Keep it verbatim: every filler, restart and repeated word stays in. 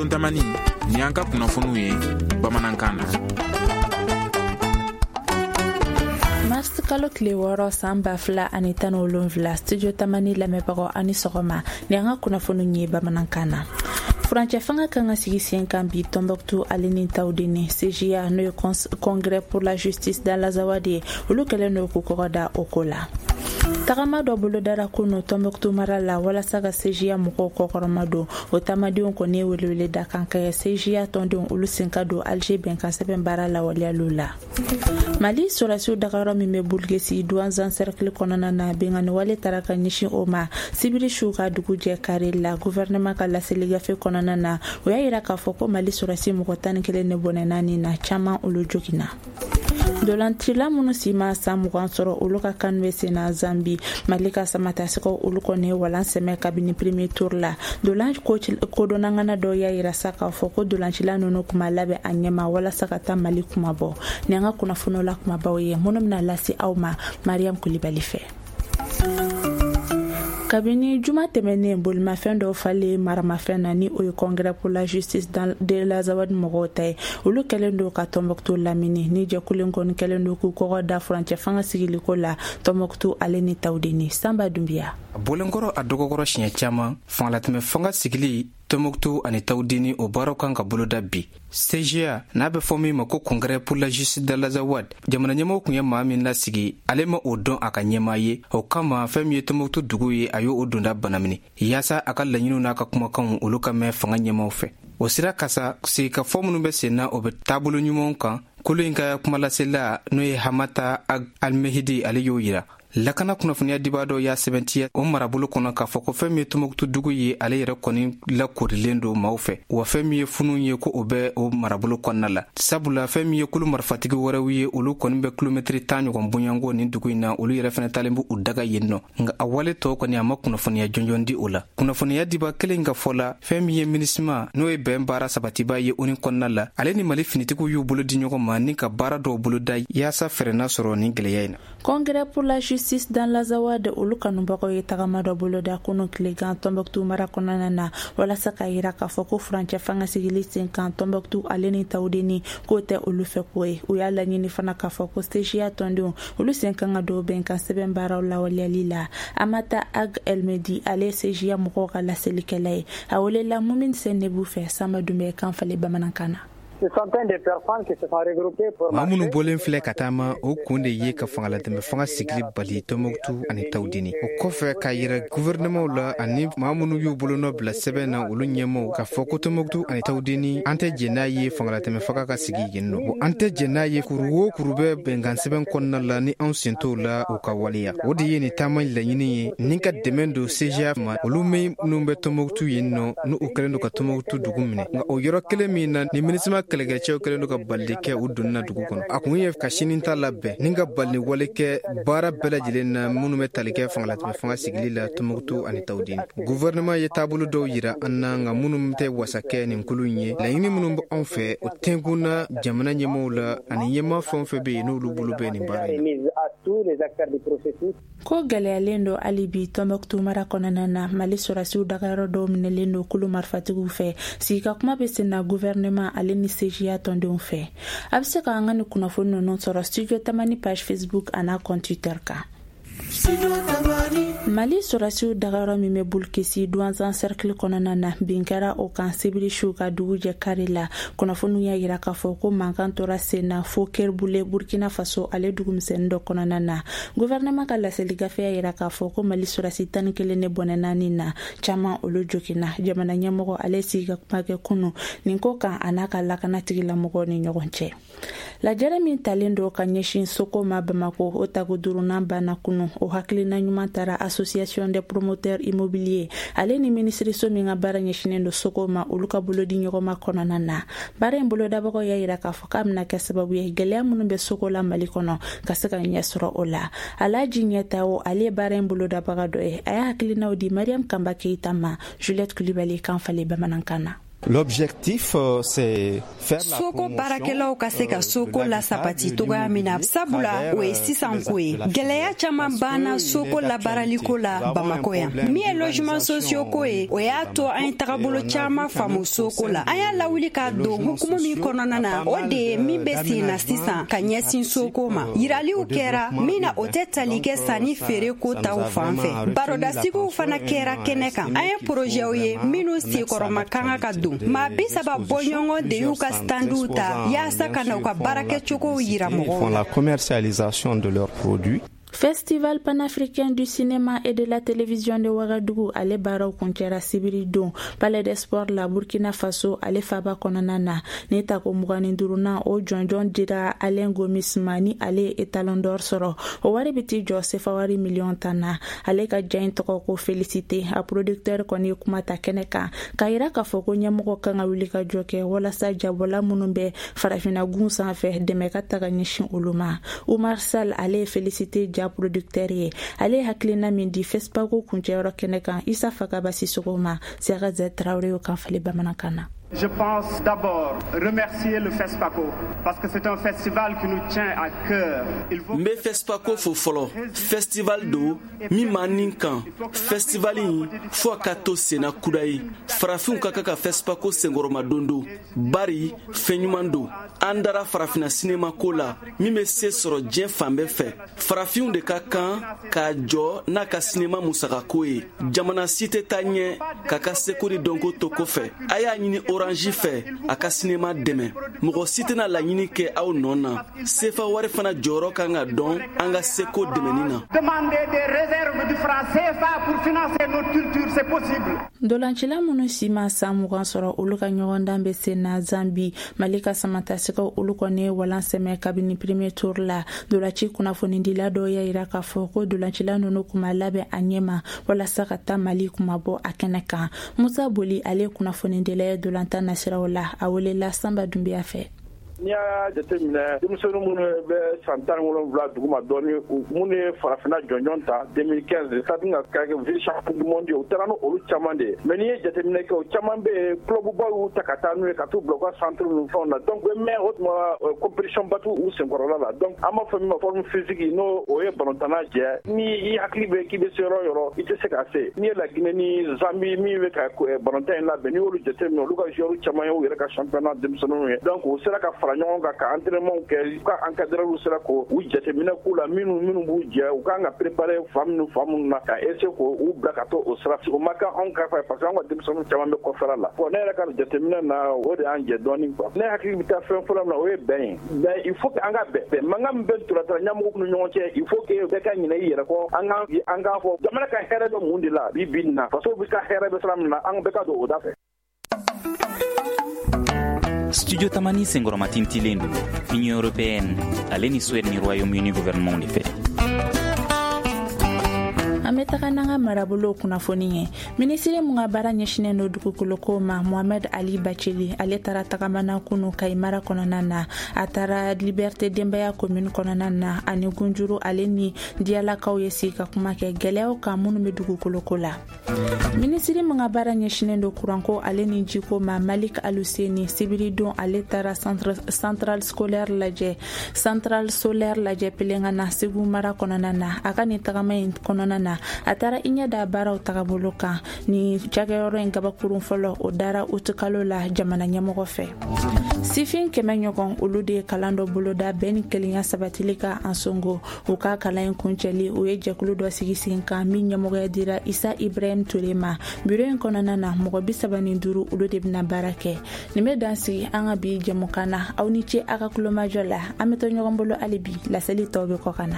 Studio Tamani, ni an ka kunnafoniw ye bamanankan na. Mars kalo tile wɔɔrɔ san ba fila ani tan ni wolonwula, Studio Tamani lamɛnbagaw ani sɔgɔma, ni an ka kunnafoniw ye bamanankan na. Furancɛ fanga kan ka sigi sen kan bi Tombouctou ale ni Tawudeni. C J A, n'o ye Congrès pour la justice dans l'Azawad ye, olu kɛlen don k'u kɔgɔ da o ko la. Tagama dɔ bolodara kunu Tombouctou mara la walasa ka C J A mɔgɔw kɔkɔrɔma don. O taamadenw kɔni ye welewele da kan kɛ C J A tɔndenw olu sen ka don Alger bɛnkan sɛbɛn baara lawaleyaliw la. Mali sɔrɔdasiw dagayɔrɔ min bɛ Bulgesi, Douentza cercle kɔnɔna na, bengani wale tara ka ɲɛsin o ma sibiri su ka dugu jɛ kari la. Gouvernement ka laseli gafe kɔnɔna na, o y'a yira k'a fɔ ko Mali sɔrɔdasi mɔgɔ tan ni kelen de bɔnɛna nin na, caman olu joginna. Dolancila minnu si ma san mugan sɔrɔ, olu ka kan bɛ sen na Zambi. Mali ka samatasɛgɛw olu kɔni ye walan sɛmɛ kabini premier tour la. Dolan kodɔnnangana dɔw y'a yira sa k'a fɔ ko dolancila ninnu kuma labɛn a ɲɛma walasa ka taa Mali kuma bɔ. Ni an ka kunnafoniw la kumabaw ye minnu bɛna lase aw ma Mariam Kulibali fɛ. Kabini juma tɛmɛnen, bolimafɛn dɔw falen maramafɛn na, ni o ye Congrès pour la justice de l'Azawad mɔgɔw ta ye, olu kɛlen don ka Tɔnbɔkutu lamini. Ni jɛkulu kɔni kɛlen don k'u kɔgɔ da furancɛ fanga sigiliko la Tɔnbɔkutu ale ni Tawudeni. Sanba Dunbiya. A bɔlenkɔrɔ a dɔgɔkɔrɔ siɲɛ caman, fangalatɛmɛ fanga sigili Tɔnbɔkutu ani Tawudeni, o baaraw kan ka boloda bi. C J A, n'a bɛ fɔ min ma ko Congrès pour la justice de l'Azawad, jamana ɲɛmɔgɔ tun ye maa min lasigi, ale ma o dɔn a ka ɲɛmaa ye. O kama, fɛn min ye Tɔnbɔkutu dugu ye, a y'o donda banamini yaasa a ka laɲiniw n'a ka kumakanw olu ka mɛn fanga ɲɛmaw fɛ. O sira kasa, sigikafɔ minnu bɛ sen na, o bɛ taabolo ɲumanw kan. Kolo in ka kumalasela, n'o ye Hamata Almehidi, ale y'o yira. Lakana kunnafoniya dibaa dɔ y'a sɛbɛntiya o marabolo kɔnɔ k'a fɔ ko fɛn min ye Tɔnbɔkutu dugu ye, ale yɛrɛ kɔni lakorilen don maaw fɛ, wa fɛn min ye funun ye, ko o bɛ o marabolo kɔnɔna la, sabula fɛn min ye kulu marifatigi wɛrɛw ye, olu kɔni bɛ kilomɛtiri tan ɲɔgɔn bonyanko nin dugu in na, olu yɛrɛ fɛnɛ talen b' u daga yen nɔ. Nka a wale tɔw kɔni, a ma kunnafoniya jɔnjɔn di o la. Kunnafoniya diba kelen ka fɔ la, fɛn min ye MINUSMA, n'o ye bɛn baara sabatiba ye ONU kɔnɔna la, ale ni Mali finitigiw y'u bolo di ɲɔgɔn ma ni ka baara dɔw boloda yaasa fɛɛrɛ sɔrɔ nin gwɛlɛya in na. Congrès pour la justice dans l'Azawad, olu kanubagaw ye tagama dɔ boloda kunu tilegan Tɔnbɔkutu mara kɔnɔna na walasa ka yira k'a fɔ ko furancɛ fanga sigili sen kan Tɔnbɔkutu ale ni Tawudeni, k'o tɛ olu fɛ ko ye. U y'a laɲini fana k'a fɔ ko C J A tɔndenw olu sen kan ka don bɛnkan sɛbɛn baaraw lawaleyali la. Amata Ag Elmedi, ale ye C J A mɔgɔw ka laselikɛla ye, a welela Mumin Sɛnɛbu fɛ. Sanba Dunbɛ kan falen bamanankan na. Maa minnu bɔlen filɛ ka taama, o kun de ye ka fangalatɛmɛ fanga sigili bali Tɔnbɔkutu ani Tawudeni. O kɔfɛ, k'a yira guvɛrɛnɛmaw la ani maa minnu y'u bolonɔ bila sɛbɛn na, olu ɲɛmaw, k'a fɔ ko Tɔnbɔkutu ani Tawudeni, an tɛ jɛn n'a ye fangalatɛmɛ fanga ka sigi yen nɔ. An tɛ jɛn n'a ye kuru o kuru bɛ bɛnkan sɛbɛn kɔnɔna la ni anw sen t'o la, o ka waleya. O de ye nin taama laɲini ye, ni ka dɛmɛ don C J A ma, olu minnu bɛ Tɔnbɔkutu yen nɔ, n'u kɛlen don ka Tɔnbɔkutu dugu minɛ. Nka o yɔrɔ kelen min na ni MINUSMA kɛlɛkɛcɛw kɛlen don ka balili kɛ u donni na dugu kɔnɔ, a kun ye ka sini ta labɛn ni ka balili wale kɛ baara bɛɛ lajɛlen na minnu bɛ tali kɛ fangalatɛmɛ fanga sigili la Tɔnbɔkutu ani Tawudeni. Guvɛrɛnɛman ye taabolo dɔw yira an na, nka minnu tɛ wasa kɛ nin kulu in ye. Laɲini minnu bɛ anw fɛ, o tɛnkun jamana ɲɛmaaw la ani ɲɛmaa fɛn o fɛn bɛ yen, n'olu bolo bɛ nin baara in na. Ko gɛlɛyalen don hali bi Tɔnbɔkutu mara kɔnɔna na. Mali sɔrɔdasiw dagayɔrɔ dɔw minɛlen don kulu marifatigiw fɛ. Sigika kuma bɛ sen na gouvernement ale ni C J A tɔndenw fɛ. A bɛ se ka an ka nin kunnafoni ninnu sɔrɔ Studio Tamani page Facebook an'a compte Twitter kan. Mali sɔrɔdasiw dagayɔrɔ min bɛ Bulkisi, Douentza cercle kɔnɔna na, bin kɛra o kan sibiri su ka dugu jɛ kari la. Kunnafoniw y'a yira k'a fɔ ko mankan tora sen na fo Kerbule, Burkina Faso ale dugumisɛnnin dɔ kɔnɔna na. Gouvernement ka laseli gafe y'a yira k'a fɔ ko Mali sɔrɔdasi tan ni kelen de bɔnɛna nin na, caman olu joginna. Jamana ɲɛmɔgɔ, ale sigi ka kuma kɛ kunu nin ko kan a n'a ka lakana tigilamɔgɔw ni ɲɔgɔn cɛ. Lajɛrɛ min talen don ka ɲɛsin soko ma Bamako, o tako duurunan banna kunu. O hakilina ɲuman taara Association des promoteurs immobiliers ale ni minisiriso min ka baara ɲɛsinen don soko ma, olu ka bolodi ɲɔgɔnma kɔnɔna na. Baara in bolodabagaw y'a yira k'a fɔ k'a bɛna kɛ sababu ye, gɛlɛya minnu bɛ soko la Mali kɔnɔ, ka se ka ɲɛ sɔrɔ o la. Alaji Ɲɛta o, ale ye baara in bolodabaga dɔ ye, a y'a hakilinaw di Mariam Kanba Keyita ma, Juliette Kulibali kan falen bamanankan na. L'objectif, c'est faire la Soko baarakɛlaw ka se ka soko lasabati cogoya min na, sabula o ye sisan ko ye. Gɛlɛya caman banna soko labaaraliko la Bamako yan. Min ye logement sociaux ko ye, o y'a to an ye tagabolo caman faamu soko la. An y'a lawuli k'a don hukumu min kɔnɔna na, o de ye min bɛ sen na sisan ka ɲɛsin soko ma. Yiraliw kɛra min na, o tɛ tali kɛ sanni feere ko taw fan fɛ. Barodasigiw fana kɛra kɛnɛ kan. An ye porozɛw ye minnu senkɔrɔma kan ka don. Maa bi saba bɔɲɔgɔn de y'u ka standw ta yaasa ka na u ka baarakɛcogow yira mɔgɔw la. Commercialisation de leurs produits. Festival panafricain du cinéma et de la télévision de Ouagadougou, ale baaraw kuncɛra sibiri don Palais des Sports la, Burkina Faso ale faba kɔnɔna na. Ni tako mugan ni duurunan o jɔnjɔn dira Alain Gomis ma, ni ale ye étalon d'or sɔrɔ. O wari bɛ t'i jɔ sefa wari miliyɔn tan na. Ale ka ja in tɔgɔ ko Félicité. A producteur kɔni ye kuma ta kɛnɛ kan k'a yira k'a fɔ ko ɲɛmɔgɔ kan ka wuli ka jɔ kɛ walasa jabɔla minnu bɛ farafinna gun sanfɛ, dɛmɛ ka taga ɲɛsin olu ma. Umar Sall, ale ye Félicité ja producteur ye. Ale ye hakilina min di FESPACO kuncɛyɔrɔ kɛnɛ kan, Isa Fakaba Sisoko ma, Siyaka Zɛ Tarawele y'o kan falen bamanankan na. Je pense d'abord remercier le FESPACO parce que c'est un festival qui nous tient à cœur. N bɛ FESPACO fo fɔlɔ. Festival don min b'an ni kan. Festival in, fo a ka to senna kuda ye. Farafinw ka kan ka FESPACO senkɔrɔma don don, bari fɛn ɲuman don. An dara farafinna sinema ko la min bɛ se sɔrɔ diɲɛ fan bɛɛ fɛ. Farafinw de ka kan k'a jɔ n'a ka sinema musakako ye. Jamana si tɛ taa ɲɛ k'a ka seko ni dɔnko to kɔfɛ. A y'a ɲini Orange fɛ a ka sinema dɛmɛ. Mɔgɔ si tɛna laɲini kɛ aw nɔ na. Sefa wari fana jɔyɔrɔ kan ka dɔn an ka seko dɛmɛni na. Demander des réserves du franc C F A pour financer notre culture, c'est possible. Dolancila minnu si ma san mugan sɔrɔ, olu ka ɲɔgɔndan bɛ sen na Zambi. Mali ka samatasɛgɛw, olu kɔni ye walan sɛmɛ kabini premier tour la. Dolaci kunnafonidila dɔw y'a yira k'a fɔ ko dolancila ninnu kun ma labɛn a ɲɛ ma walasa ka taa Mali kuma bɔ a kɛnɛ kan. Musa Boli, ale ye kunnafonidila ye dolantan nasiraw la. A welela Sanba Dunbiya fɛ. N'i y'a jateminɛ, denmisɛnnin minnu bɛ san tan ni wolonwula duguma dɔɔni, minnu ye farafinna jɔnjɔn ta deux mille quinze, ka ka kɛ vice champion du monde, u taara n'olu caman de ye. Mais n'i ye jateminɛ kɛ, o caman bɛ yen, club baw y'u ta ka taa n'u ye ka t'u bila u ka centre ninnu fɛnw na. Donc mais o tuma compétition ba t'u u senkɔrɔla la. Donc an b'a fɔ min ma forme physique, n'o o ye balontanna jɛ, ni i hakili bɛ k'i bɛ se yɔrɔ o yɔrɔ, i tɛ se ka se. N'i ye Laginɛ ni Zambi min bɛ ka balontan in labɛn, n'i y'olu jateminɛ, olu ka joueurs caman ye u yɛrɛ ka championnat denmisɛnninw ye. Donc u sera ka fara ɲɔgɔn kan ka entraînement kɛ, u ka encadreur sera k'u jateminɛ k'u la, minnu minnu b'u jɛ, u kan ka préparer fan minnu fan minnu na, ka essayer k'u bila ka to o sira. O ma kɛ anw ka fɛ, parce que anw ka denmisɛnninw caman bɛ kɔfɛla la. Bon, ne yɛrɛ ka jateminɛ na, o de y'an jɛ dɔɔni quoi. Ne hakili bɛ taa fɛn fɔlɔ min na, o ye bɛn ye. Bɛn, il faut que an ka bɛn. Bɛn mankan min bɛ ntolantan ɲɛmɔgɔw ni ɲɔgɔn cɛ, il faut que bɛɛ ka ɲinɛ i yɛrɛ kɔ. An ka an k'a fɔ jamana ka hɛrɛ bɛ mun de la bi bi in na, faso bɛ ka hɛrɛ bɛ sira min na, an bɛɛ ka don o da fɛ. Studio Tamani senkɔrɔmatintilen don Union européenne ale ni Suède ni Royaume-Uni gouvernement de fɛ. An bɛ taga n'an ka marabolo kunnafoni ye. Minisiri mun ka baara ɲɛsinen don dugukoloko ma, Mohamed Ali Bacili, ale taara tagamana kunu Kayi mara kɔnɔna na. A taara Liberté Denbaya commune kɔnɔna na, ani Gunjuru ale ni Diyalakaw ye sigi ka kuma kɛ gɛlɛyaw kan minnu bɛ dugukoloko la. Minisiri mun ka baara ɲɛsinen don kuranko ale ni jiko ma, Malik Aluseni, sibiridon ale taara centrale scolaire lajɛ, centrale solaire lajɛ Pelengana, Segu mara kɔnɔna na. A ka nin tagama in kɔnɔna na, a taara i ɲɛ da baaraw tagabolo kan. Ni cakɛyɔrɔ in gabakurun fɔlɔ, o dara utukalo la jamana ɲɛmɔgɔ fɛ. Sifin kɛmɛ ɲɔgɔn, olu de ye kalan dɔ boloda bɛn ni kelenya sabatili ka Ansongo. U ka kalan in kuncɛli, u ye jɛkulu dɔ sigi sen kan min ɲɛmɔgɔya dira Isa Ibrahim Ture ma. Biro in kɔnɔna na, mɔgɔ bi saba ni duuru, olu de bɛna baara kɛ. Nin bɛ dan sigi an ka bi jɛmukan na. Aw ni ce a ka kulomajɔ la. An bɛ to ɲɔgɔn bolo hali bi, laseli tɔw bɛ kɔ ka na.